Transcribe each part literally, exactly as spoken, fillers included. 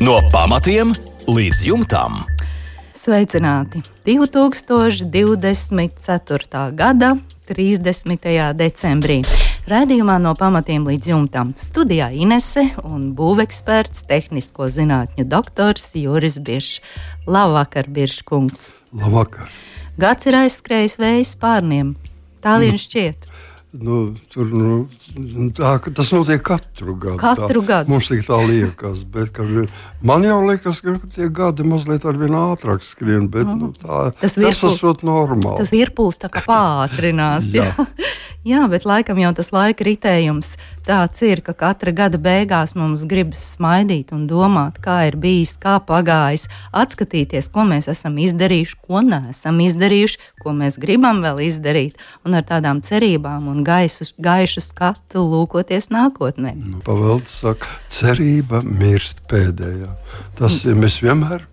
No pamatiem līdz jumtam. Sveicināti! divi tūkstoši divdesmit ceturtā gada trīsdesmitajā decembrī. Raidījumā no pamatiem līdz jumtam. Studijā Inese un būveksperts, tehnisko zinātņu doktors Juris Biršs. Labvakar, Birškungs! Labvakar! Gads ir aizskrējis vējas pārniem. Tā vien šķiet. Nu, tur, nu, tā, tas notiek katru gadu. Katru tā, gadu. Mums tik tā liekas, bet ka, man jau liekas, ka tie gadi mazliet ar vien ātrāk skrien, bet mm. nu, tā, tas, tas esot normāli. Tas virpuls tā kā pātrinās. jā. jā, bet laikam jau tas laika ritējums tāds ir, ka katra gada beigās mums gribas smaidīt un domāt, kā ir bijis, kā pagājis, atskatīties, ko mēs esam izdarījuši, ko neesam izdarījuši, ko mēs gribam vēl izdarīt, un ar tādām cerībām un gaisu, gaišu skatu lūkoties nākotnē. Nu, Pavelds saka, cerība mirst pēdējā. Tas ir, mēs vienmēr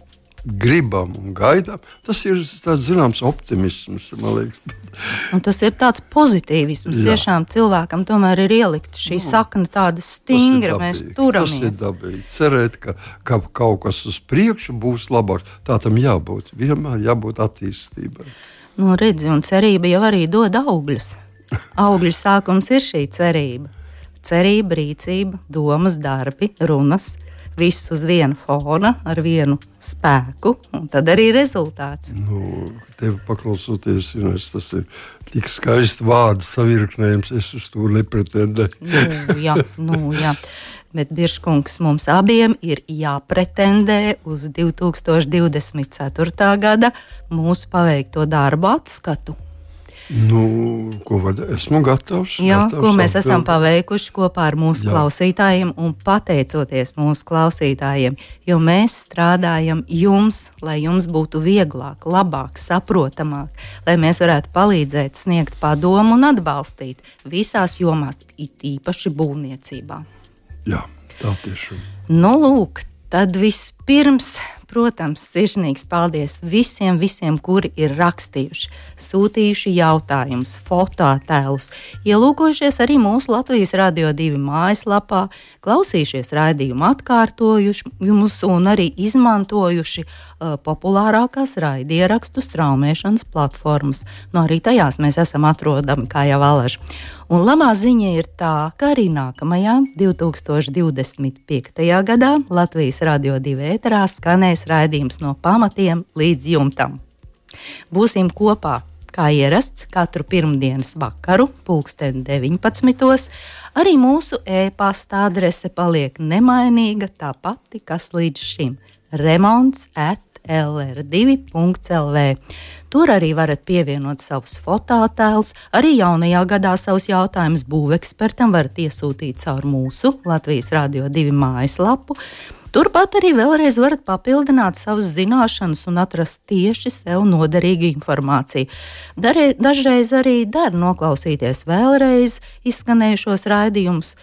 gribam un gaidām. Tas ir tāds zināms optimisms, man liekas. Un tas ir tāds pozitīvisms. Jā. Tiešām cilvēkam tomēr ir ielikt šī nu, sakna tāda stingra, mēs turamies. Tas ir dabīgi. Cerēt, ka, ka kaut kas uz priekšu būs labāk. Tā tam jābūt. Vienmēr jābūt attīstībai. Nu, redzi, un cerība jau arī dod augļus. Augļu sākums ir šī cerība. Cerība, rīcība, domas, darbi, runas, viss uz viena fona, ar vienu spēku, un tad arī rezultāts. Nu, tev paklausoties, Ines, tas ir tik skaisti vārdu savirknējums, es uz to nepretendēju. nu, jā, nu, jā. Bet, Birškungs, mums abiem ir jāpretendē uz divi tūkstoši divdesmit ceturtā gada mūsu paveikto darbu atskatu. Nu, ko var, esmu gatavs. Jā, gatavs ko mēs atbild. esam paveikuši kopā ar mūsu Jā. klausītājiem un pateicoties mūsu klausītājiem, jo mēs strādājam jums, lai jums būtu vieglāk, labāk, saprotamāk, lai mēs varētu palīdzēt, sniegt padomu un atbalstīt visās jomās, it īpaši būvniecībā. Jā, tā tiešām. Nu, lūk, tad vispirms, protams, sirsnīgs paldies visiem, visiem, kuri ir rakstījuši, sūtījuši jautājumus, fototēlus, ielūkojušies arī mūsu Latvijas Radio divi mājaslapā, klausījušies raidījumu atkārtojumus un arī izmantojuši uh, populārākās raidierakstu straumēšanas platformas. Nu, arī tajās mēs esam atrodami, kā jau alaži. Un labā ziņa ir tā, ka arī nākamajā divi tūkstoši divdesmit piektajā gadā Latvijas Radio divi ēterā skanēs raidījums no pamatiem līdz jumtam. Būsim kopā, kā ierasts, katru pirmdienas vakaru, pulksten deviņpadsmitos. Arī mūsu e-pasta adrese paliek nemainīga, tā pati, kas līdz šim – remonts at l r divi punkts l v. Tur arī varat pievienot savus fototēlus, arī jaunajā gadā savus jautājumus būvekspertam varat iesūtīt caur mūsu Latvijas Radio divi mājaslapu. Turpat arī vēlreiz varat papildināt savas zināšanas un atrast tieši sev noderīgu informāciju. Darē, dažreiz arī der noklausīties vēlreiz izskanējušos raidījumus,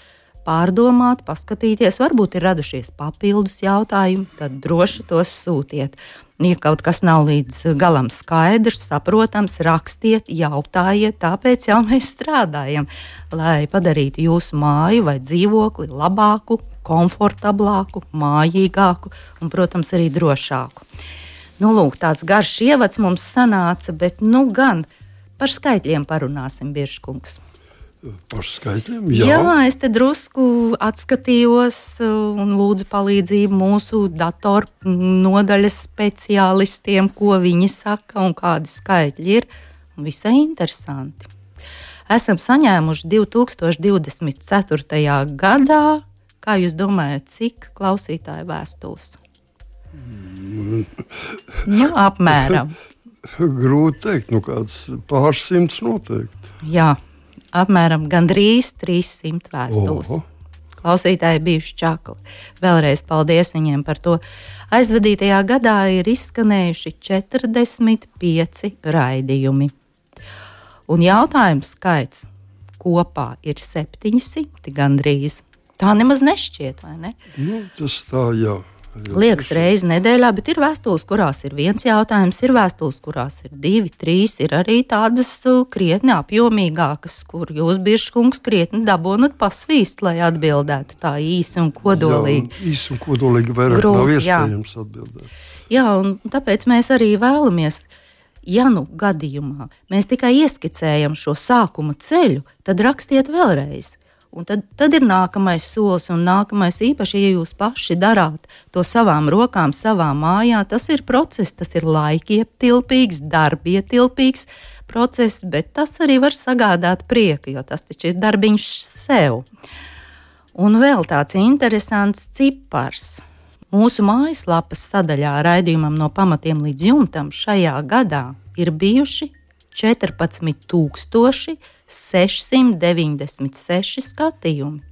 pārdomāt, paskatīties, varbūt ir radušies papildus jautājumi, tad droši tos sūtiet. Ja kaut kas nav līdz galam skaidrs, saprotams, rakstiet, jautājiet, tāpēc jau mēs strādājam, lai padarītu jūsu māju vai dzīvokli labāku, komfortablāku, mājīgāku un, protams, arī drošāku. Nu, lūk, tāds garš ievads mums sanāca, bet nu gan par skaitļiem parunāsim, Birškungs. Par skaitļiem? Jā. Jā, es te drusku atskatījos un lūdzu palīdzību mūsu datoru nodaļas speciālistiem, ko viņi saka un kādi skaitļi ir. Visai interesanti. Esam saņēmuši divi tūkstoši divdesmit ceturtajā gadā, kā jūs domājat, cik klausītāju vēstules? Mm. Jā, apmēram. Grūti teikt, nu kāds pārsimts noteikti. Jā. Apmēram gandrīz trīssimt vēstules. Oho. Klausītāji bijuši čakli. Vēlreiz paldies viņiem par to. Aizvadītajā gadā ir izskanējuši četrdesmit pieci raidījumi. Un jautājumu skaits kopā ir septiņsimt gandrīz. Tā nemaz nešķiet, vai ne? Nu, tas tā, jā. Liekas reizi nedēļā, bet ir vēstules, kurās ir viens jautājums, ir vēstules, kurās ir divi, trīs, ir arī tādas krietni apjomīgākas, kur jūs, Biržkungs, krietni dabonat pasvīst, lai atbildētu tā īsi un kodolīgi. Jā, īsi un kodolīgi vairāk Grūti, nav iespējams jā. atbildēt. Jā, un tāpēc mēs arī vēlamies, ja nu gadījumā mēs tikai ieskicējam šo sākuma ceļu, tad rakstiet vēlreiz. Un tad, tad ir nākamais solis, un nākamais īpaši, ja jūs paši darāt to savām rokām, savā mājā, tas ir process, tas ir laikietilpīgs, darbietilpīgs process, bet tas arī var sagādāt prieku, jo tas taču ir darbiņš sev. Un vēl tāds interesants cipars. Mūsu mājaslapas sadaļā raidījumam no pamatiem līdz jumtam šajā gadā ir bijuši četrpadsmit tūkstoši sešsimt deviņdesmit seši skatījumi.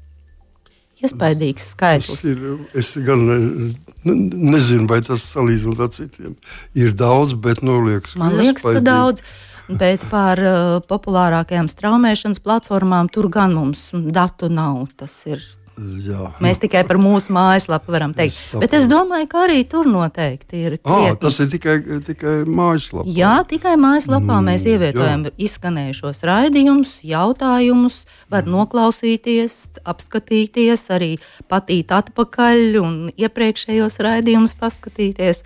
Iespaidīgs skaitlis. Ir, es gan ne, nezinu, vai tas salīdzinot ar citiem ir daudz, bet nu liekas, Man liekas, ka daudz, bet par uh, populārākajām straumēšanas platformām tur gan mums datu nav. Tas ir Jā. Mēs tikai par mūsu mājaslapu varam teikt. Es bet es domāju, ka arī tur noteikti ir krietnis. À, tas ir tikai, tikai mājaslapā. Jā, tikai mājaslapā mm, mēs ievietojam jā. izskanējušos raidījumus, jautājumus, var mm. noklausīties, apskatīties, arī patīt atpakaļ un iepriekšējos raidījumus paskatīties.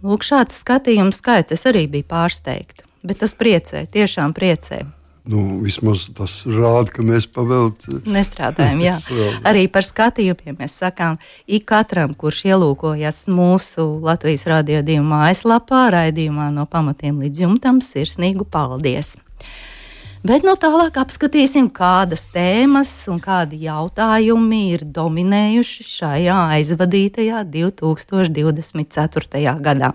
Lūk, šāds skatījums skaits, es arī biju pārsteigta, bet tas priecē, tiešām priecē. Nu, vismaz tas rāda, ka mēs pavēlti nestrādājam. Jā. Arī par skatījumiem mēs sakām, ik katram, kurš ielūkojas mūsu Latvijas Radio divi mājaslapā, raidījumā no pamatiem līdz jumtam, sirsnīgu paldies. Bet no tālāk apskatīsim, kādas tēmas un kādi jautājumi ir dominējuši šajā aizvadītajā divi tūkstoši divdesmit ceturtajā gadā.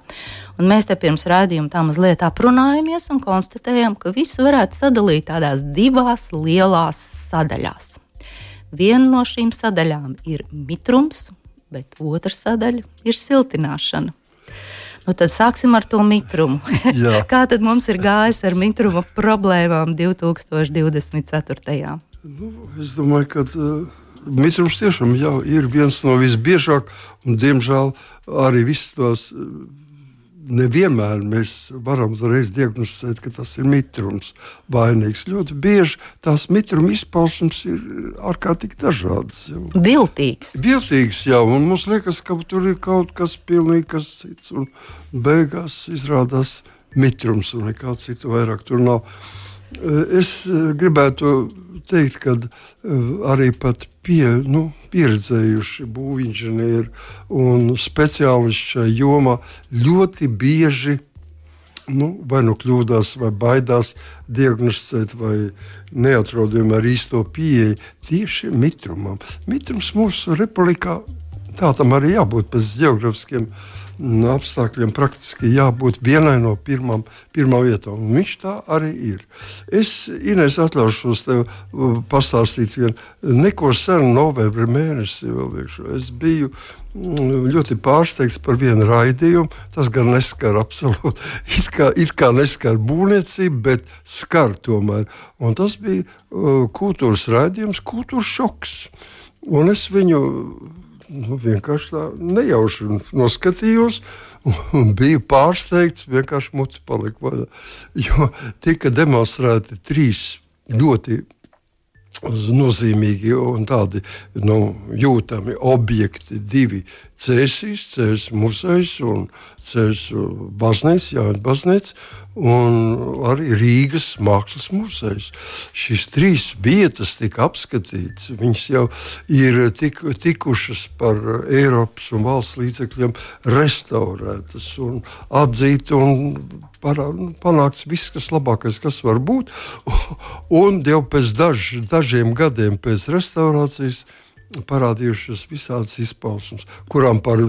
Un mēs te pirms raidījuma tā mazliet aprunājamies un konstatējam, ka visu varētu sadalīt tādās divās lielās sadaļās. Viena no šīm sadaļām ir mitrums, bet otra sadaļa ir siltināšana. Nu, tad sāksim ar to mitrumu. Kā tad mums ir gājis ar mitruma problēmām divi tūkstoši divdesmit ceturtajā? Nu, es domāju, ka uh, mitrums tiešām jau ir viens no visbiežāk, un diemžēl arī viss tos uh, nevienmēr mēs varam reiz diagnosticēt, ka tas ir mitrums vainīgs. Ļoti bieži tās mitruma izpausmes ir ārkārtīgi dažādas. Viltīgs. Viltīgs, jā, un mums liekas, ka tur ir kaut kas pilnīgi kas cits, un beigās izrādās mitrums, un nekā citu vairāk tur nav. Es gribētu teikt, ka arī pat pie, nu, pieredzējuši būvinženieri un speciālisti šajā jomā ļoti bieži nu, vai nu kļūdās, vai baidās diagnosticēt, vai neatrod vienmēr īsto pieeju tieši mitrumam. Mitrums mūsu republikā, tā tam arī jābūt pēc geogrāfiskiem apstākļiem, praktiski jābūt vienai no pirmām, pirmā vietā, un viņš tā arī ir. Es, Inês, atļaušos tev pastāstīt vienu, neko senu novembra mēnesi vēl viekšu. Es biju ļoti pārsteigts par vienu raidījumu, tas gan neskar absolūti, it kā, it kā neskar būvniecību, bet skar tomēr, un tas bija uh, kultūras raidījums, kultūras šoks, un es viņu Nu, vienkārši tā nejauši noskatījos un biju pārsteigts, vienkārši muti palika vaļā. Jo tika demonstrēti trīs ļoti nozīmīgi un tādi nu, jūtami objekti, divi Cēsīs, Cēsis muzejs un Cēsis baznīca, Jāņa baznīca, un arī Rīgas mākslas muzejs. Šīs trīs vietas tika apskatītas, viņas jau ir tik, tikušas par Eiropas un valsts līdzekļiem restaurētas un atzīt un parā, nu, panākts viss, kas labākais, kas var būt, un jau pēc daž, dažiem gadiem pēc restaurācijas parādījušas visādas izpausmes, kurām par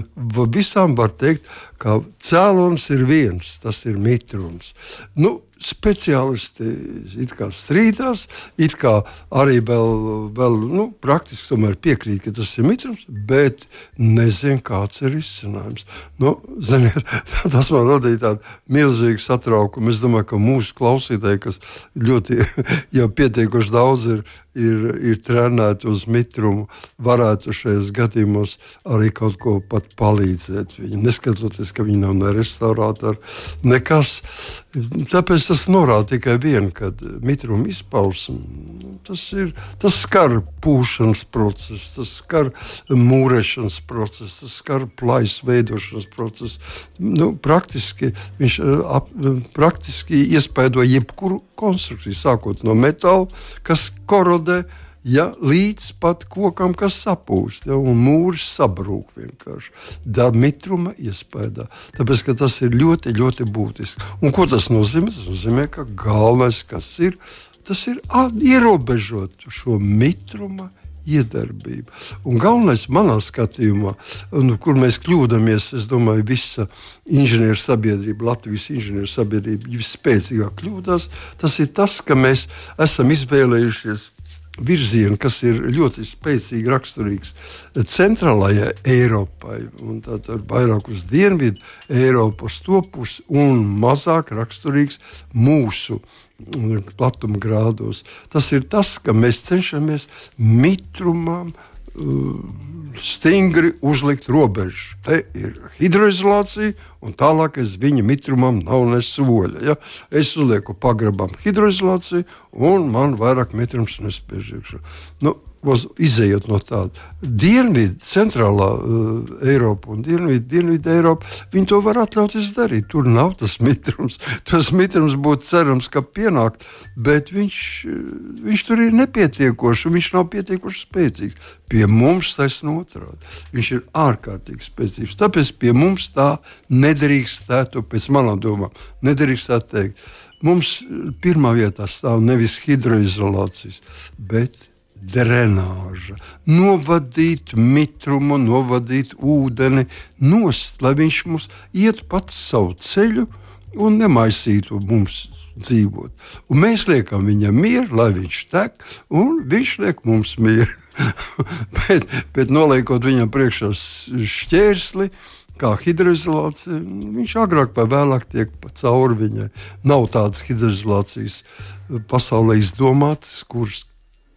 visām var teikt, ka cēlonis ir viens, tas ir mitrums. Nu, speciālisti it kā strīdās, it kā arī vēl, vēl nu, praktiski tomēr piekrīt, ka tas ir mitrums, bet nezinu, kāds ir izcinājums. Nu, ziniet, tas man radīja tādu milzīgu satraukumu. Es domāju, ka mūsu klausītāji, kas ļoti jau pietiekoši daudz ir, ir, ir trenēti uz mitrumu, varētu šajos gadījumos arī kaut ko pat palīdzēt. Viņi, neskatoties, ka viņi nav ne restaurātori, nekas. Tāpēc tas norāda tikai vienu, ka mitruma izpausme, tas ir, tas skar pūšanas procesu, tas skar mūrēšanas procesu, tas skar plaisu veidošanas procesu. Nu, praktiski viņš ap, praktiski iespaido jebkuru konstrukciju, sākot no metāla, kas korodē, ja, līdz pat kokam, kas sapūst, ja, un mūris sabrūk vienkārši. Da mitruma iespējā. Tāpēc, ka tas ir ļoti, ļoti būtiski. Un ko tas nozīmē? Tas nozīmē, ka galvenais, kas ir, tas ir ierobežot šo mitruma iedarbību. Un galvenais manā skatījumā, nu, kur mēs kļūdamies, es domāju, visa inženieru sabiedrība, Latvijas inženieru sabiedrība visspēcīgāk kļūdās, tas ir tas, ka mēs esam izvēlējušies virzienu, kas ir ļoti spēcīgi raksturīgs centrālajai Eiropai, un tātad vairāk uz dienvidu Eiropu, uz to pusi, un mazāk raksturīgs mūsu platuma grādos. Tas ir tas, ka mēs cenšamies mitrumam stingri uzlikt robežu. Te ir hidroizolācija, un tālākais viņa mitrumam nav ne soļa. Ja? Es uzlieku pagrabam hidroizolāciju, un man vairāk mitrums nespēj iekšā. Nu, izejot no tāda. Dienvidu, centrālā uh, Eiropa un dienvidu, dienvidu Eiropa, viņi to var atļauties darīt. Tur nav tas mitrums. Tas mitrums būtu cerams, ka pienākt, bet viņš, viņš tur ir nepietiekoši, un viņš nav pietiekoši spēcīgs. Pie mums taisn otrādi. Viņš ir ārkārtīgi spēcīgs. Tāpēc pie mums tā nedrīkstētu, pēc manām domām, nedrīkstētu teikt. Mums pirmā vietā stāv nevis hidroizolācijas, bet drenāža. Novadīt mitrumu, novadīt ūdeni nost, lai viņš mums iet pats savu ceļu un nemaisītu mums dzīvot. Un mēs liekam viņam mieru, lai viņš tek, un viņš liek mums mieru. bet, bet noliekot viņam priekšā šķērsli, kā hidroizolācija, viņš agrāk vai vēlāk tiek cauri viņai. Nav tādas hidroizolācijas pasaulē izdomātas, kuras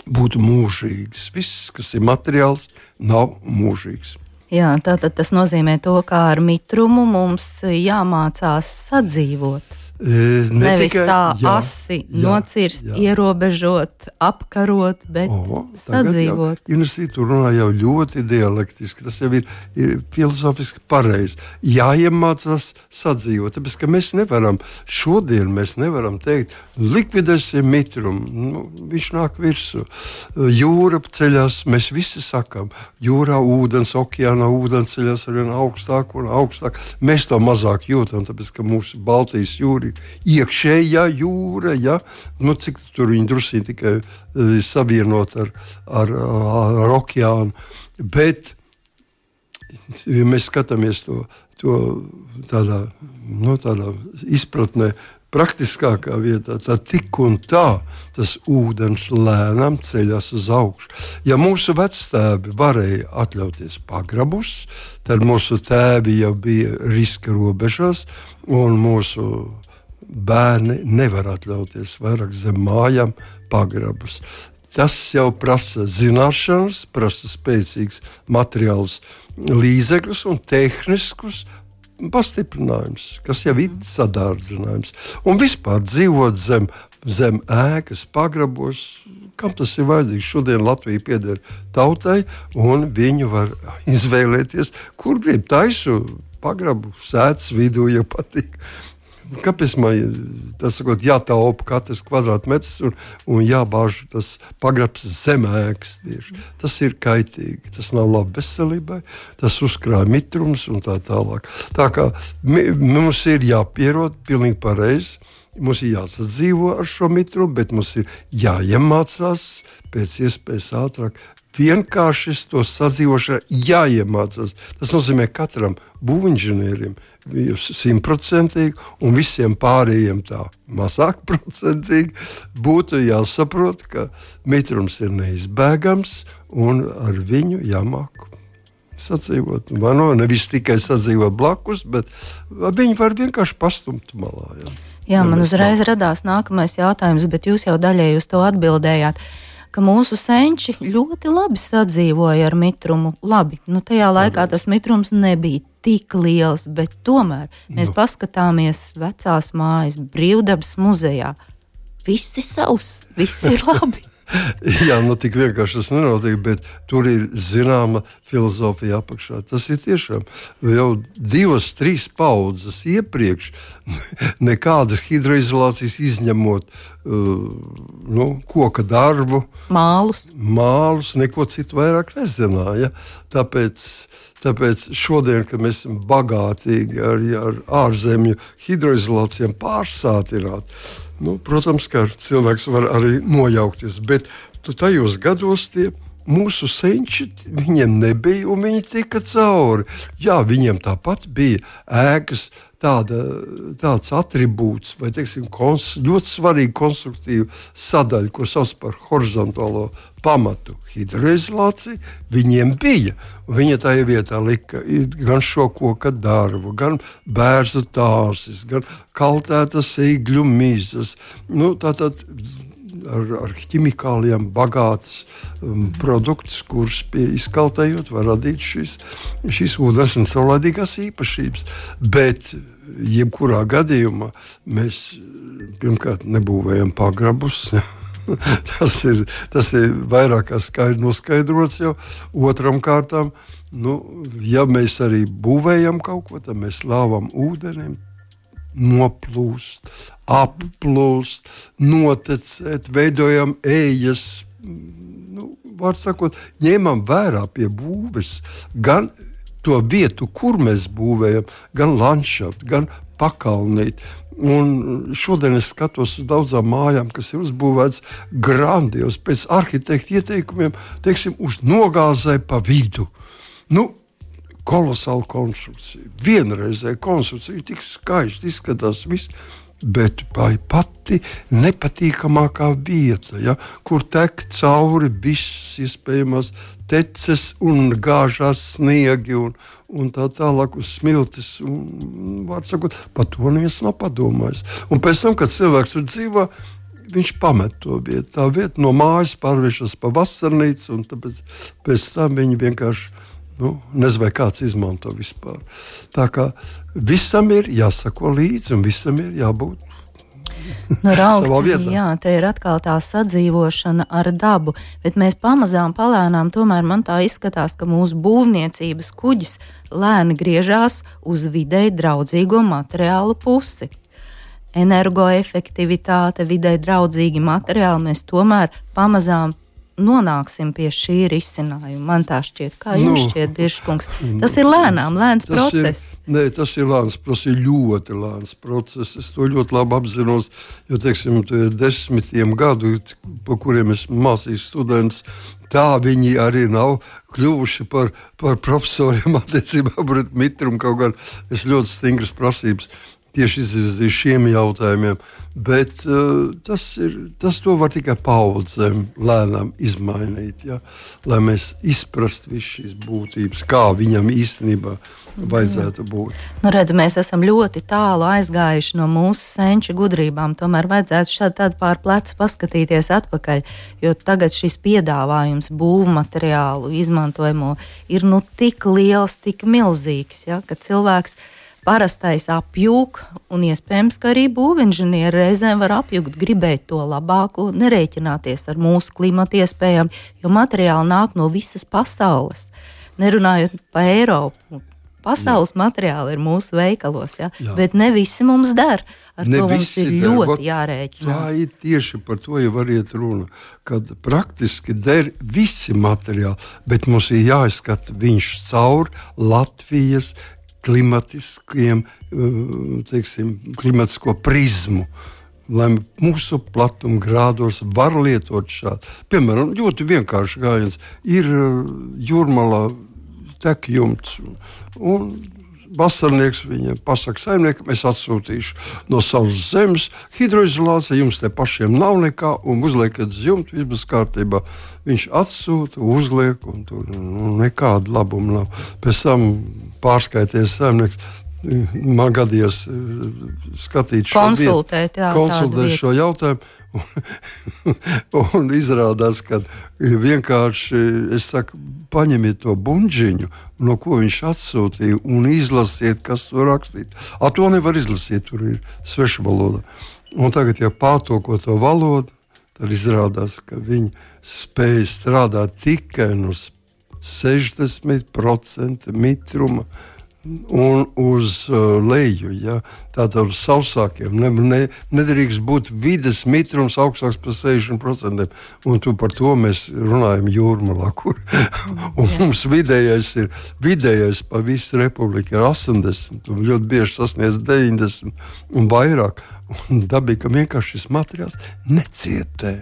būtu mūžīgas. Viss, kas ir materiāls, nav mūžīgs. Jā, tātad tas nozīmē to, kā ar mitrumu mums jāmācās sadzīvot. Ne Nevis tikai, tā jā, asi jā, nocirst, jā. ierobežot, apkarot, bet o, sadzīvot. Ines tu runā jau ļoti dialektiski, tas jau ir, ir filozofiski pareizi. Jāiemācās sadzīvot, tāpēc, ka mēs nevaram, šodien mēs nevaram teikt, likvidēsim mitrumu, nu, viņš nāk virsū. Jūra ceļās, mēs visi sakām, jūrā ūdens, okeānā ūdens ceļās arvien augstāk un augstāk. Mēs to mazāk jūtam, tāpēc, ka mūsu Baltijas jūra iekšējā jūra, ja? Nu, cik tur viņi drusīgi tikai uh, savienot ar, ar, ar, ar okeānu. Bet, ja mēs skatāmies to, to tādā, nu, tādā izpratnē, praktiskākā vietā, tad tik un tā tas ūdens lēnām ceļās uz augšu. Ja mūsu vectēvi varēja atļauties pagrabus, tad mūsu tēvi jau bija riska robežās, un mūsu bērni nevar atļauties vairāk zem mājām pagrabus. Tas jau prasa zināšanas, prasa spēcīgs materiāls līdzekļus un tehniskus pastiprinājums, kas jau ir sadārdzinājums. Un vispār dzīvot zem, zem ēkas pagrabos, kam tas ir vajadzīgs? Šodien Latvija pieder tautai, un viņi var izvēlēties, kur grib taisu pagrabu sēdz vidū, ja patīk. Kāpēc man tas sakot, jātaupa katrs kvadrātmetrs un, un jābāž tas pagrabs zem ēkas tieši. Tas ir kaitīgi, tas nav labi veselībai, tas uzkrāja mitrums un tā tālāk. Tā kā mums ir jāpierod pilnīgi pareizi, mums ir jāsadzīvo ar šo mitrumu, bet mums ir jāiemācās pēc iespējas ātrāk vienkārši to sadzīvošanu jāiemācās. Tas nozīmē katram būvinženierim simtprocentīgi un visiem pārējiem tā mazāk procentīgi būtu jāsaprot, ka mitrums ir neizbēgams un ar viņu jāmāk sadzīvot. Vai no, nevis tikai sadzīvot blakus, bet viņi var vienkārši pastumt malā. Jā, jā man uzreiz nav. Radās nākamais jautājums, bet jūs jau daļēji uz to atbildējāt, ka mūsu senči ļoti labi sadzīvoja ar mitrumu. Labi, nu tajā laikā tas mitrums nebija tik liels, bet tomēr mēs nu. paskatāmies vecās mājas Brīvdabas muzejā. Viss ir savs, viss ir labi. Jā, nu tik vienkārši tas nenotiek, bet tur ir zināma filozofija apakšā. Tas ir tiešām jau divas, trīs paudzes iepriekš nekādas hidroizolācijas izņemot uh, nu, koka darbu, mālus. mālus, neko citu vairāk nezināja. Tāpēc, tāpēc šodien, kad mēs esam bagātīgi ar, ar ārzemju hidroizolācijām pārsātināt, nu, protams, ka cilvēks var arī nojaukties, bet tajos gados tie mūsu senči, viņiem nebija un viņi tika cauri. Jā, viņiem tāpat bija ēkas, tāda, tāds atribūts vai, teiksim, kons, ļoti svarīga konstruktīva sadaļa, ko sauc par horizontālo pamatu hidroizolāciju, viņiem bija. Viņa tajā vietā lika gan šo koka darbu, gan bērzu tāsis, gan kaltētas eigļu mizas. Nu, tātad ar, ar ķimikālijām bagātas um, produktus, kurus pie izkaltējot var radīt šīs, šīs ūdens un saulēdīgās īpašības. Bet jebkurā gadījumā mēs pirmkārt nebūvējam pagrabus. tas, ir, tas ir vairāk kā skaidri noskaidrots jau. Otram kārtām, nu, ja mēs arī būvējam kaut ko, tad mēs lāvam ūdenim, noplūst, applūst, notecēt, veidojam ejas, nu, var sakot, ņemam vērā pie būves gan to vietu, kur mēs būvējam, gan landšaftu, gan pakalnīt. Un šodien es skatos uz daudzām mājām, kas ir uzbūvētas grandios, pēc arhitekta ieteikumiem, teiksim, uz nogāzē pa vidu. Nu, kolosāla konstrukcija, vienreizēja konstrukcija, tik skaisti izskatās viss, bet pati nepatīkamākā vieta, ja, kur tek cauri viss iespējamās teces un gāžās sniegi un, un tā tālāk uz smiltis. Un, var sakot, par to neviens nav padomājis. Un pēc tam, kad cilvēks tur dzīvo, viņš pamet to vietu. Tā vieta no mājas pārvēršas pa vasarnīcu, un tāpēc pēc tam viņi vienkārši Nu, nezinu, vai kāds izmanto vispār. Tā kā visam ir jāsako līdzi un visam ir jābūt nu, Rauk, savā vietā. Jā, te ir atkal tā sadzīvošana ar dabu, bet mēs pamazām palēnām, tomēr man tā izskatās, ka mūsu būvniecības kuģis lēni griežās uz videi draudzīgo materiālu pusi. Energoefektivitāte, videi draudzīgi materiāli, mēs tomēr pamazām nonāksim pie šī risinājuma. Man tā šķiet, kā jums nu, šķiet, Dirškungs. Tas ir lēnām, lēns tas process. Ir, nē, tas ir lēns, tas ir ļoti lēns process. Es to ļoti labi apzinos, jo, teiksim, desmitiem gadu, pa kuriem es mācīju students, tā viņi arī nav kļuvuši par, par profesoriem attiecībā pret mitrumu, kaut gan es ļoti stingras prasības tieši izvirzīju šiem jautājumiem, bet uh, tas, ir, tas to var tikai paudzēm lēnām izmainīt, ja? Lai mēs izprastu visu šīs būtības, kā viņam īstenībā vajadzētu būt. Nu, redz, mēs esam ļoti tālu aizgājuši no mūsu senču gudrībām, tomēr vajadzētu šādi tādu pār plecu paskatīties atpakaļ, jo tagad šis piedāvājums būvmateriālu izmantojamo ir nu tik liels, tik milzīgs, ja? Ka cilvēks parastais apjūk, un iespējams, ka arī būvinženieri reizēm var apjūgt, gribēt to labāko, nerēķināties ar mūsu klimata iespējām, jo materiāli nāk no visas pasaules. Nerunājot pa Eiropu, pasaules Jā. Materiāli ir mūsu veikalos, ja? Bet ne visi mums der. Ar ne to mums ir der. Ļoti Vat, jārēķinās. Tā ir tieši par to, ja variet runa, kad praktiski der visi materiāli, bet mums ir jāizskata viņš caur Latvijas klimatiskiem, teiksim, klimatisko prizmu. lai mūsu platuma grādos var lietot šādu. Piemēram, ļoti vienkārši gājiens ir Jūrmalā tek jumts un vasarnieks viņam pasaka saimniekam, es atsūtīšu no savas zemes hidroizolāciju, jums te pašiem nav nekā, un uzliekat uz jumtu, viss būs kārtībā. Viņš atsūta, uzliek, un tur nu, nekāda labuma nav. Pēc tam pārskaities saimnieks, man gadījās skatīt šo konsultēt, jā, konsultēt šo jautājumu. Un izrādās, ka vienkārši, es saku, paņemiet to buņģiņu, no ko viņš atsūtīja, un izlasiet, kas to rakstīt. A to nevar izlasīt, tur ir sveša valoda. Un tagad, ja pārtulko to valodu, tad izrādās, ka viņi spēj strādāt tikai no sešdesmit procenti mitruma un uz uh, leju, ja? Tātad uz sausākiem. Ne, ne, nedrīkst būt vides mitrums augstāks par sešdesmit procentiem. Un tu par to mēs runājam Jūrmalā, kur un mums vidējais ir, vidējais pa visu republiku ir astoņdesmit, un ļoti bieži sasniedz deviņdesmit un vairāk. Un dabīgi, ka vienkārši šis materiāls necietē.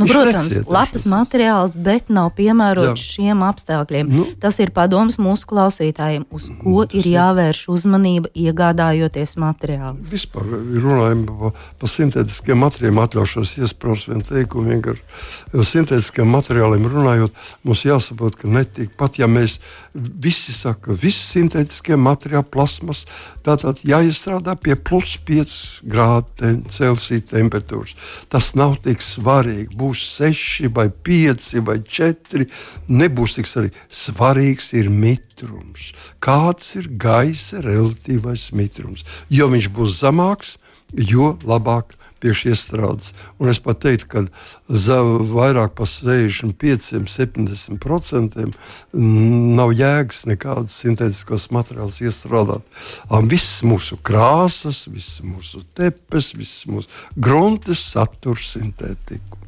Nu, protams, necietē labs materiāls, bet nav piemērots šiem apstākļiem. Nu, tas ir padoms mūsu klausītājiem, uz ko ir jāvērš uzmanība, iegādājoties materiālus. Vispār runājam par pa sintētiskiem materiāliem, atļaušos iespraust vienu teikumu vienkārši. Jo sintētiskiem materiāliem runājot, mums jāsaprot, ka netik, pat ja mēs visi saka, visi sintētiskie materiāli, plasmas, tātad jāiestrādā pie plus pieci grādu Celsija temperatūras. Tas nav tik svarīgi. Būs seši vai pieci vai četri. Nebūs tik svarīgi. Svarīgs ir mitrums. Kāds ir gaisa relatīvais mitrums? Jo viņš būs zemāks, jo labāk priekš iestrādes. Un es pat teiktu, ka za vairāk par sešdesmit pieciem, septiņdesmit procentiem nav jēgas nekādas sintētiskos materiālus iestrādāt. Un viss mūsu krāsas, viss mūsu tepes, viss mūsu gruntes satur sintētiku.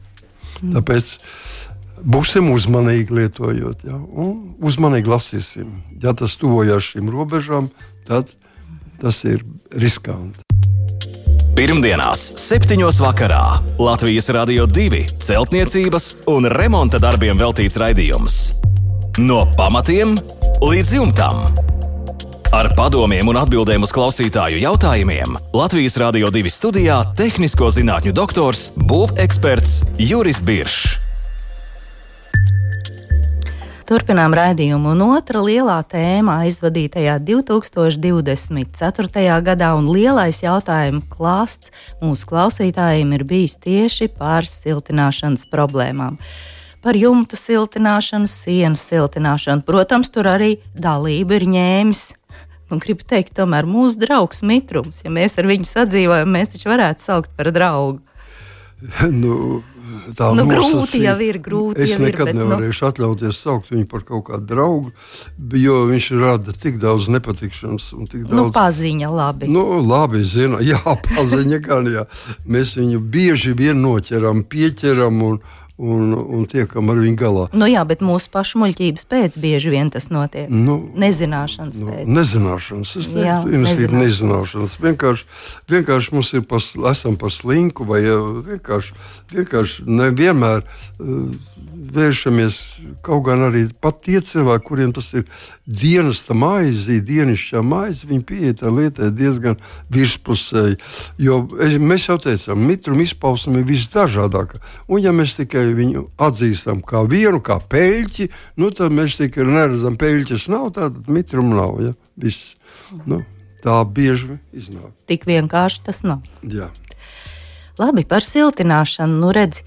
Mm. Tāpēc būsim uzmanīgi lietojot, ja? Un uzmanīgi lasīsim. Ja tas tuvojās šīm robežām, tad tas ir riskanti. Pirmdienās, septiņos vakarā Latvijas Radio divi celtniecības un remonta darbiem veltīts raidījums. No pamatiem līdz jumtam. Ar padomiem un atbildēm uz klausītāju jautājumiem Latvijas Radio divi studijā tehnisko zinātņu doktors, būveksperts Juris Biršs. Turpinām raidījumu, un otra lielā tēma aizvadītajā divi tūkstoši divdesmit ceturtajā gadā un lielais jautājumu klāsts mūsu klausītājiem ir bijis tieši par siltināšanas problēmām. Par jumta siltināšanu, sienu siltināšanu. Protams, tur arī dalība ir ņēmis. Un gribu teikt, tomēr mūsu draugs mitrums, ja mēs ar viņu sadzīvojam, mēs taču varētu saukt par draugu. Nu... Tā nu, nosacīt, grūti jau ir, grūti es jau ir. Es nekad bet, nevarēšu nu... atļauties saukt viņu par kaut kādu draugu, jo viņš rada tik daudz nepatikšanas un tik daudz... Nu, paziņa labi. Nu, labi, zinu, jā, paziņa gan, jā. Mēs viņu bieži vien noķeram, pieķeram un, un, un tiekam ar viņu galā. Nu jā, bet mūsu pašu muļķības pēc bieži vien tas notiek. Nu, nezināšanas nu, pēc. Nezināšanas, es teiktu, nezināšanas. nezināšanas. Vienkārši, vienkārši mums ir pas, esam par slinku vai vienkārši, vienkārši nevienmēr uh, vēršamies, kaut gan arī pat tie cilvēki, kuriem tas ir dienesta maizi, dienišķā maizi, viņi pieiet ar lietai diezgan virspusēji. Jo mēs jau teicām, mitruma izpausme ir visdažādākā. Un ja mēs tikai viņu atzīstam kā vienu, kā peļķi, nu tad mēs tikai neredzam, peļķis nav, tātad mitruma nav. Ja? Viss. Nu, tā bieži iznāk. Tik vienkārši tas nav. Jā. Labi, par siltināšanu. Nu redzi,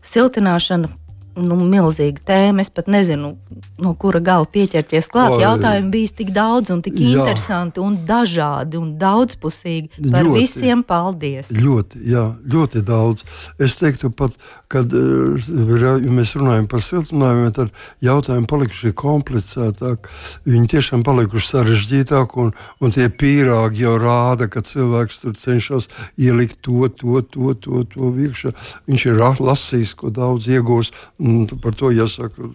siltināšana nu, milzīga tēma. Es pat nezinu, no kura gala pieķerties klāt. O, jautājumi bijis tik daudz un tik jā. interesanti un dažādi un daudzpusīgi. Par ļoti, visiem paldies. Ļoti, jā, ļoti daudz. Es teiktu pat, kad ja mēs runājam par siltinājumiem, tad jautājumi palikuši komplicētāk. Viņi tiešām palikuši sarežģītāk un, un tie pīrāgi jau rāda, ka cilvēks tur cenšas ielikt to, to, to, to, to virkšā. Viņš ir lasījis, ko daudz iegūs Un par to jāsaka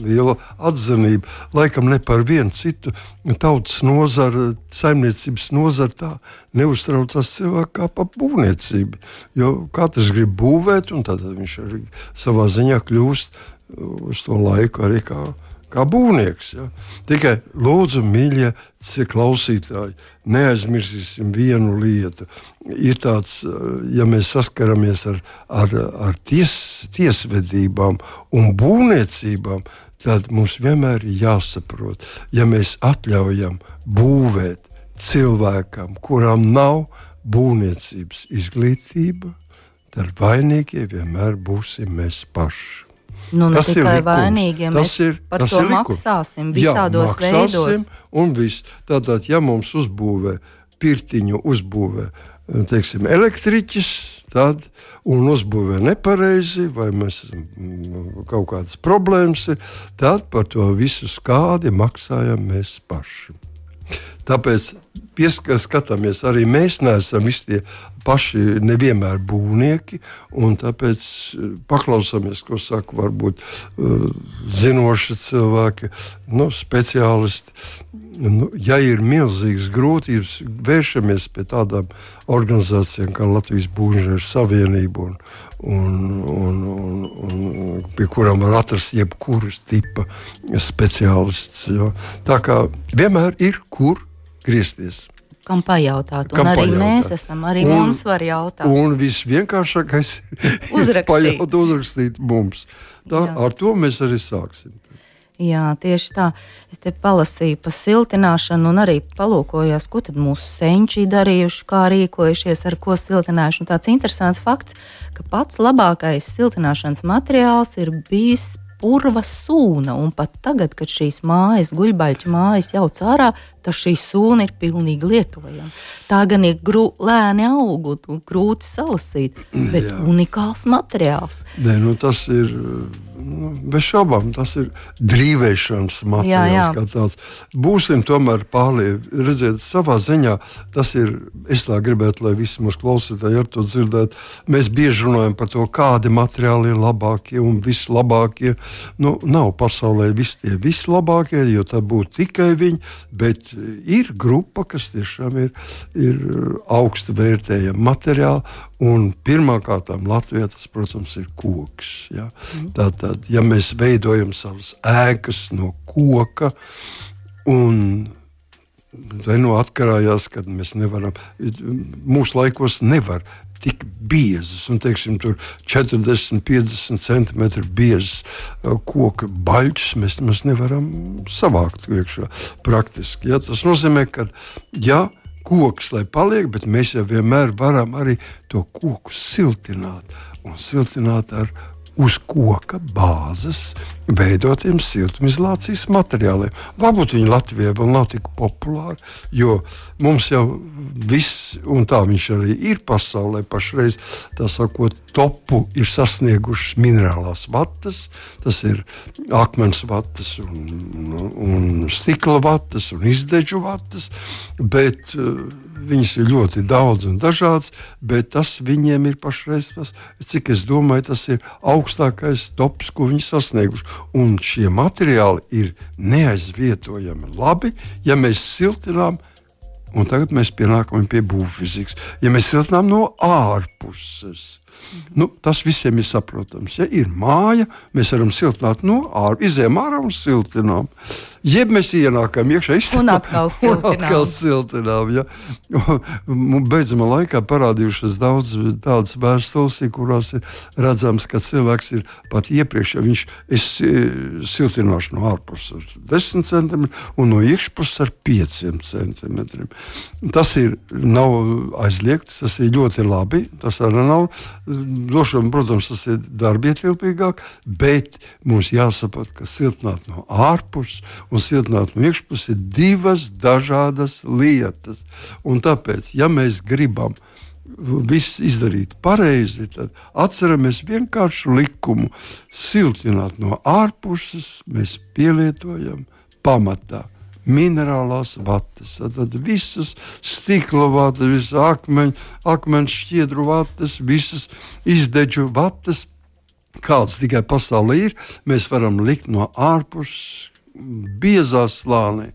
liela atzinība. Laikam ne par vienu citu tautas nozaru, saimniecības nozaru tā neuztraucās cilvēku kā par būvniecību. Jo katrs grib būvēt, un tad viņš arī savā ziņā kļūst uz to laiku arī kā kā būvnieks. Ja? Tikai lūdzu, mīļie klausītāji, neaizmirsīsim vienu lietu. Ir tāds, ja mēs saskaramies ar, ar, ar ties, tiesvedībām un būvniecībām, tad mums vienmēr ir jāsaprot, ja mēs atļaujam būvēt cilvēkam, kuram nav būvniecības izglītība, tad vainīgie vienmēr būsim mēs paši. Nu, ne tas tikai vainīgi, ja mēs ir, par to maksāsim visādos Jā, veidos. Un viss. Tātad, ja mums uzbūvē, pirtiņu uzbūvē, teiksim, elektriķis, tad, un uzbūvē nepareizi, vai mēs kaut kādas problēmas ir, tad par to visu skādi maksājam mēs paši. Tāpēc pieskatāmies, arī mēs neesam visi tie paši nevienmēr būvnieki, un tāpēc paklausāmies, ko saka varbūt uh, zinoši cilvēki, nu, speciālisti. Nu, ja ir milzīgas grūtības, vēršamies pie tādām organizācijām kā Latvijas Būvniecības Savienība, un, un, un, un, un pie kurām var atrast jebkuras tipa speciālists. Jo. Tā kā vienmēr ir, kur griezties. Kam pajautāt, un Kam arī pajautāt. Mēs esam, arī un, mums var jautāt. Un visvienkāršākais ir uzrakstīt. pajaut, uzrakstīt mums. Tā, ar to mēs arī sāksim. Jā, tieši tā. Es te palasīju par siltināšanu un arī palūkojos, ko tad mūsu senči darījuši, kā rīkojušies, ar ko siltinājuši. Un tāds interesants fakts, ka pats labākais siltināšanas materiāls ir bijis purva sūna, un pat tagad, kad šīs mājas, guļbaļķu mājas jauc ārā, tad šī sūna ir pilnīgi lietojama. Tā gan ir grū, lēni aug un grūti salasīt, bet Jā. Unikāls materiāls. Nē, nu tas ir, nu, bez šaubām, tas ir drīvēšanas materiāls jā, jā. Kā tāds. Būsim tomēr pārlieku, redziet, savā ziņā, tas ir, es tā gribētu, lai visi mūsu klausītāji ar to dzirdētu, mēs bieži runājam par to, kādi materiāli ir labākie un vislabākie. Nu, nav pasaulē visi tie vislabākie, jo tā būtu tikai viņi, bet ir grupa, kas tiešām ir, ir augsti vērtējama materiāli, un pirmkārtām Latvijā tas, protams, ir koks. Ja? Tātad, ja mēs veidojam savas ēkas no koka, un vai nu atkarājās, kad mēs nevaram, mūsu laikos nevar tik biezas, un teiksim, tur četrdesmit piecdesmit centimetri biezas koka baļķus mēs, mēs nevaram savākt iekšā praktiski. Ja? Tas nozīmē, ka ja koks, lai paliek, bet mēs jau vienmēr varam arī to koku siltināt, un siltināt ar uz koka bāzes veidotiem siltumizolācijas materiāliem. Varbūt viņi Latvijā vēl nav tik populāri, jo mums jau viss, un tā viņš arī ir pasaulē pašreiz, tā sakot, topu ir sasniegušas minerālās vatas, tas ir akmens vatas un, un stikla vatas un izdeģu vatas, bet uh, viņas ir ļoti daudz un dažādas, bet tas viņiem ir pašreiz, tas, cik es domāju, tas ir augstākais tops, ko viņi sasnieguši. Un šie materiāli ir neaizvietojami labi, ja mēs siltinām, un tagad mēs pienākam pie būvfizikas, ja mēs siltinām no ārpuses. Nu, tas visiem ir saprotams. Ja ir māja, mēs varam siltināt no ārā, izējām ārā un siltinām. Jeb mēs ienākam iekšā, un atkal siltinām. Un atkal siltinām ja. Beidzamā laikā parādījušas daudz tādas vēstules, kurās ir redzams, ka cilvēks ir pat iepriekš, ja viņš es siltināšu no ārpuses ar desmit centimetriem un no iekšpuses ar pieciem centimetriem. Tas ir, nav aizliegts, tas ir ļoti labi, tas arī nav došana, protams, tas ir darbietilpīgāk, bet mums jāsaprot, ka siltināt no ārpuses un siltināt no iekšpuses ir divas dažādas lietas. Un tāpēc, ja mēs gribam visu izdarīt pareizi, tad atceramies vienkāršu likumu. Siltināt no ārpuses mēs pielietojam pamatā minerālās vatas, tad visas stikla vatas, visas akmeņu, akmeņu šķiedru vatas, visas izdeģu vatas, kāds tikai pasaulē ir, mēs varam likt no ārpus biezā slānī,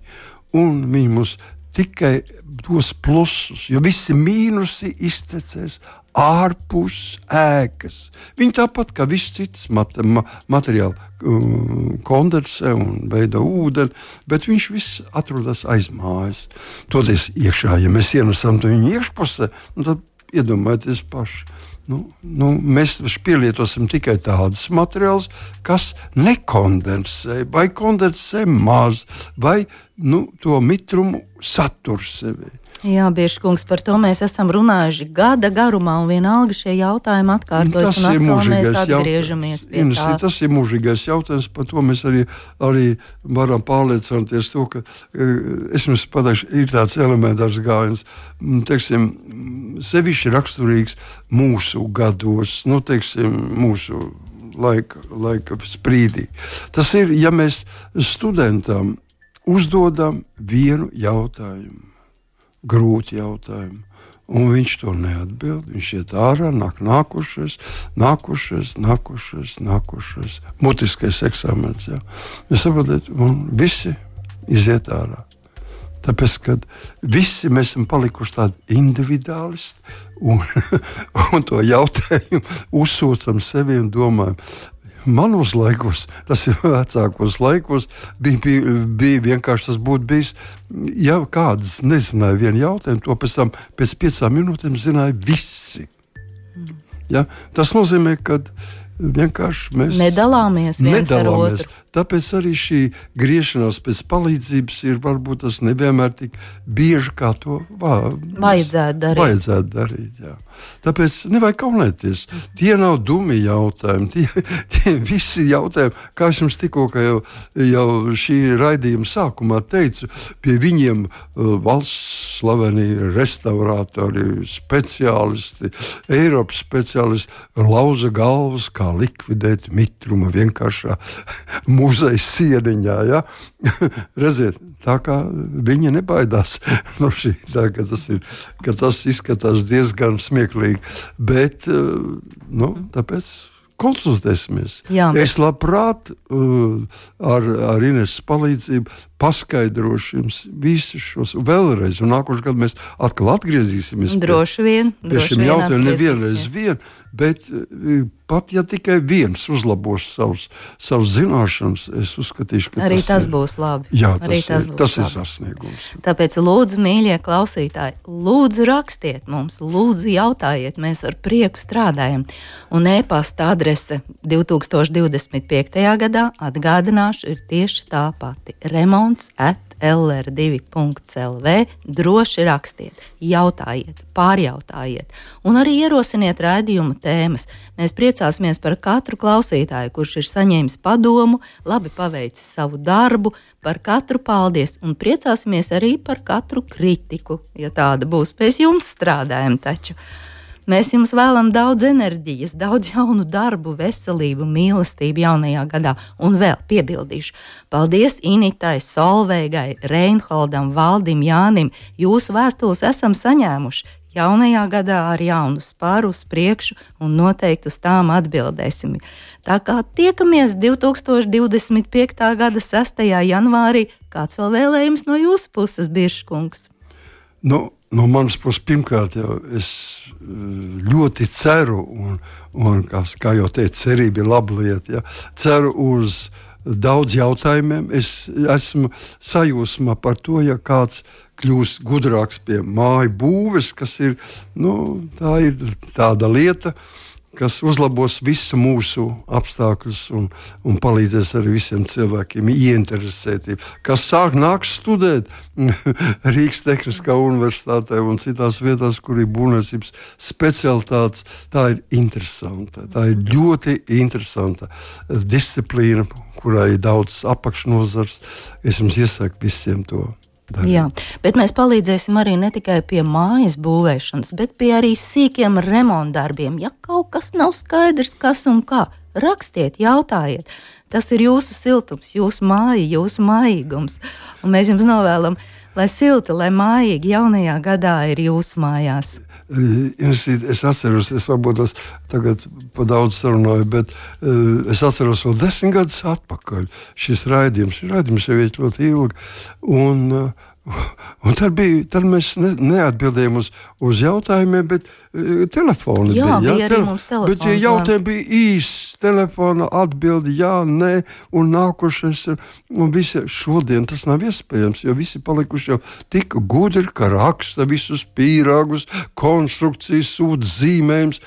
un viņi mums tikai dos plusus, jo visi mīnusi iztecēs ārpus ēkas. Viņi tāpat kā viss cits mat- ma- materiāli um, kondensē un veido ūdeni, bet viņš viss atrodas aiz mājas. Toties iekšā, ja mēs ienesam to viņu iekšpusē, nu tad iedomājieties paši. Nu, nu, mēs pielietosim tikai tādus materiālus, kas nekondensē, vai kondensē maz, vai nu, to mitrumu satur sevi. Jā, Biržkungs, par to mēs esam runājuši gada garumā, un vienalga šie jautājumi atkārtojas, un atkal mēs atgriežamies pie jautājums. tā. Tas ir mūžīgais jautājums, par to mēs arī, arī varam pārliecināties to, ka, es jums pateikšu, ir tāds elementārs gājiens, teiksim, sevišķi raksturīgs mūsu gados, nu, teiksim, mūsu laika, laika sprīdī. Tas ir, ja mēs studentam uzdodam vienu jautājumu, grūti jautājumu, un viņš to neatbild, viņš iet ārā, nāk nākušais, nākušais, nākušais, nākušais, mutiskais eksāmens, jā. Jūs saprotat, un visi iziet ārā. Tāpēc, kad visi mēs esam palikuši tādi individuālisti, un, un to jautājumu uzsūcam sevi un domājam, manos laikos, tas ir vecākos laikos, bija, bija, bija vienkārši tas būtu bijis, ja kādas nezināja vienu jautājumu, to pēc tam pēc piecām minūtēm zināja visi. Mm. Ja? Tas nozīmē, ka vienkārši mēs nedalāmies viens nedalāmies. ar otru. Tāpēc arī šī griešanās pēc palīdzības ir varbūt tas nevienmēr tik bieži, kā to vā, vajadzētu darīt. Vajadzētu darīt jā. Tāpēc nevajag kaunēties. Tie nav dumi jautājumi. Tie, tie visi jautājumi, kā es jums tikko jau, jau šī raidījuma sākumā teicu, pie viņiem uh, valsts slaveni restaurātori, speciālisti, Eiropas speciālisti lauza galvas, kā likvidēt mitrumu vienkāršā muzeja sieniņā, ja? Redziet, tā kā viņi nebaidās no šī, tā, ka, tas ir, ka tas izskatās diezgan smieklīgi, bet, nu, tāpēc konsultēsimies. Jā, bet... Es labprāt uh, ar, ar Ineses palīdzību paskaidrošu jums visus šos vēlreiz, un nākošu gadu mēs atkal atgriezīsimies droši vien, pie, droši pie šiem vien jautājumiem nevienreiz vien, bet uh, pat ja tikai viens uzlabos savus, savus zināšanas, es uzskatīšu, ka arī tas, tas būs labi. Jā, tas, arī tas, ir, būs tas labi. ir sasniegums. Tāpēc lūdzu, mīļie klausītāji, lūdzu rakstiet mums, lūdzu jautājiet, mēs ar prieku strādājam. Un e-pasta adrese divtūkstoš divdesmit piektajā gadā, atgādināšu, ir tieši tā pati – remonts at el er divi punkts el vē. Droši rakstiet, jautājiet, pārjautājiet un arī ierosiniet raidījuma tēmas. Mēs priecāsimies par katru klausītāju, kurš ir saņēmis padomu, labi paveicis savu darbu, par katru paldies un priecāsimies arī par katru kritiku, ja tāda būs. Pēc jums strādājam taču. Mēs jums vēlam daudz enerģijas, daudz jaunu darbu, veselību, mīlestību jaunajā gadā. Un vēl piebildīšu. Paldies Initai, Solveigai, Reinholdam, Valdim, Jānim. Jūsu vēstules esam saņēmuši. Jaunajā gadā ar jaunu spāru uz priekšu un noteikti uz tām atbildēsim. Tā kā tiekamies divtūkstoš divdesmit piektā gada sestajā janvārī. Kāds vēl vēlējums no jūsu puses, Biržkungs? Nu, no manas puses, pirmkārt, jau es ļoti ceru, un, un kā, kā jau teicu, cerība ir laba lieta. Ja? Ceru uz daudz jautājumiem. Es esmu sajūsmā par to, ja kāds kļūs gudrāks pie māju būves, kas ir, nu, tā ir tāda lieta, kas uzlabos visu mūsu apstākļus un, un palīdzēs arī visiem cilvēkiem ieinteresētību, kas sāk nāks studēt Rīgas Tehniskā universitātē un citās vietās, kur ir būvniecības specialitātes. Tā ir interesanta, tā ir ļoti interesanta disciplīna, kurā ir daudz apakšnozars. Es jums iesaku visiem to darīt. Jā, bet mēs palīdzēsim arī ne tikai pie mājas būvēšanas, bet pie arī sīkiem remontdarbiem. Ja kaut kas nav skaidrs, kas un kā, rakstiet, jautājiet. Tas ir jūsu siltums, jūsu māja, jūsu mājīgums. Un mēs jums novēlam lai silti, lai mājīgi jaunajā gadā ir jūsu mājās. Es atceros, es varbūt es tagad pa daudz sarunāju, bet uh, es atceros vēl desmit gadus atpakaļ šis raidījums. Šis raidījums jau ir ļoti ilgi. Un, uh, un tad, bija, tad mēs ne, neatbildējām uz, uz jautājumiem, bet uh, telefoni jā, bija. Jā, bija arī mums telefons. Bet ja jautājumi bija īsts, telefona atbildi, jā, nē, un nākušais. Un visi, šodien tas nav iespējams, jo visi palikuši jau tik gudri, ka raksta visus pīrāgus, konstrukcijas, sūta zīmējums.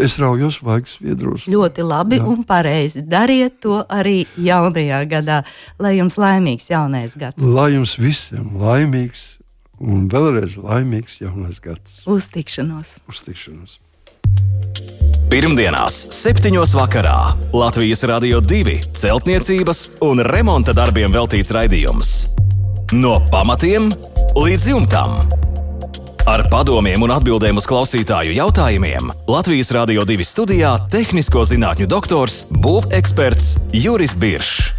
Es raujos vaigas viedros. Ļoti labi jā. Un pareizi. Dariet to arī jaunajā gadā, lai jums laimīgs jaunais gads. Lai jums visiem laimīgs un vēlreiz laimīgs jaunais gads. Uz tikšanos. Uz tikšanos. Pirmdienās, septiņos vakarā Latvijas Radio divi celtniecības un remonta darbiem veltīts raidījums. No pamatiem līdz jumtam. Ar padomiem un atbildēm uz klausītāju jautājumiem Latvijas Radio divi studijā tehnisko zinātņu doktors, būveksperts Juris Biršs.